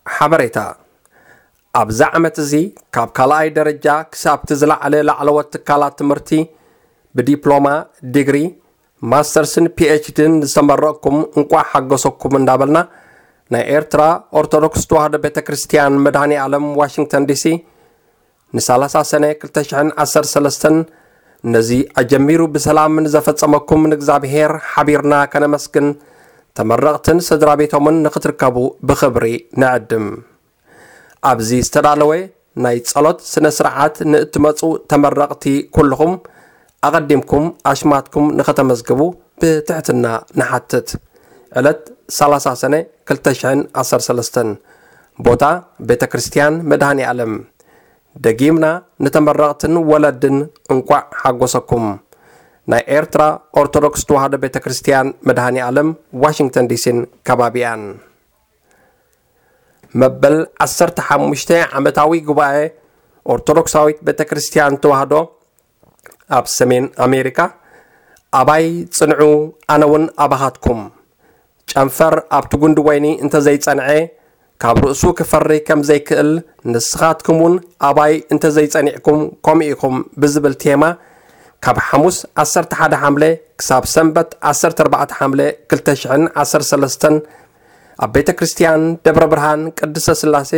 ሓበሬታ። ኣብዚ ዓመት እዚ ካብ ካልኣይ ደረጃ ክሳብቲ ዝለዓለ ላዕለዎት ትካላት ትምህርቲ ብዲፕሎማ፣ ዲግሪ፣ ማስተርስን ፒኤችዲን ዝተመረቕኩም እንቋዕ ሓጎሰኩም እንዳበልና፣ ናይ ኤርትራ ኦርቶዶክስ ተዋህዶ ቤተ ክርስቲያን መድኃኔ ዓለም ዋሽንግተን ዲሲ ን30 ሰነ ክልተ ሽሕን ዓሰርተ ሰለስተን ነዚ ኣጀሚሩ ብሰላም ንዘፈጸመኩም ንእግዚኣብሔር ሓቢርና ከነመስግን፣ ተመረቕትን ስድራ ቤቶምን ንኽትርከቡ ብኽብሪ ንዕድም። ኣብዚ ዝተዳለወ ናይ ጸሎት ስነ ስርዓት ንእትመጹ ተመረቕቲ ኩልኹም ኣቐዲምኩም ኣሽማትኩም ንኸተመዝግቡ ብትሕትና ንሓትት። ዕለት ሰላሳ ሰነ ክልተ ሽሕን ዓሰርተ ሰለስተን። ቦታ ቤተ ክርስቲያን መድኃኔ ዓለም። ደጊምና ንተመረቕትን ወለድን እንቋዕ ሓጎሰኩም። ናይ ኤርትራ ኦርቶዶክስ ተዋህዶ ቤተ ክርስቲያን መድኃኔ ዓለም ዋሽንግተን ዲሲን ከባቢኣን። መበል ዓሰርተ ሓሙሽተ ዓመታዊ ጉባኤ ኦርቶዶክሳዊት ቤተ ክርስቲያን ተዋህዶ ኣብ ሰሜን ኣሜሪካ። ኣባይ ጽንዑ፣ ኣነ እውን ኣባኻትኩም። ጨንፈር ኣብቲ ጉንዲ ወይኒ እንተዘይጸንዐ፣ ካብ ርእሱ ክፈሪ ከም ዘይክእል፣ ንስኻትኩም እውን ኣባይ እንተዘይጸኒዕኩም ከምኡ ኢኹም ብዝብል ቴማ፣ ካብ ሓሙስ ዓሰርተ ሓደ ሓምለ ክሳብ ሰንበት ዓሰርተ ኣርባዕተ ሓምለ ክልተ ሽሕን ዓሰርተ ሰለስተን ኣብ ቤተ ክርስቲያን ደብረ ብርሃን ቅድስተ ሥላሴ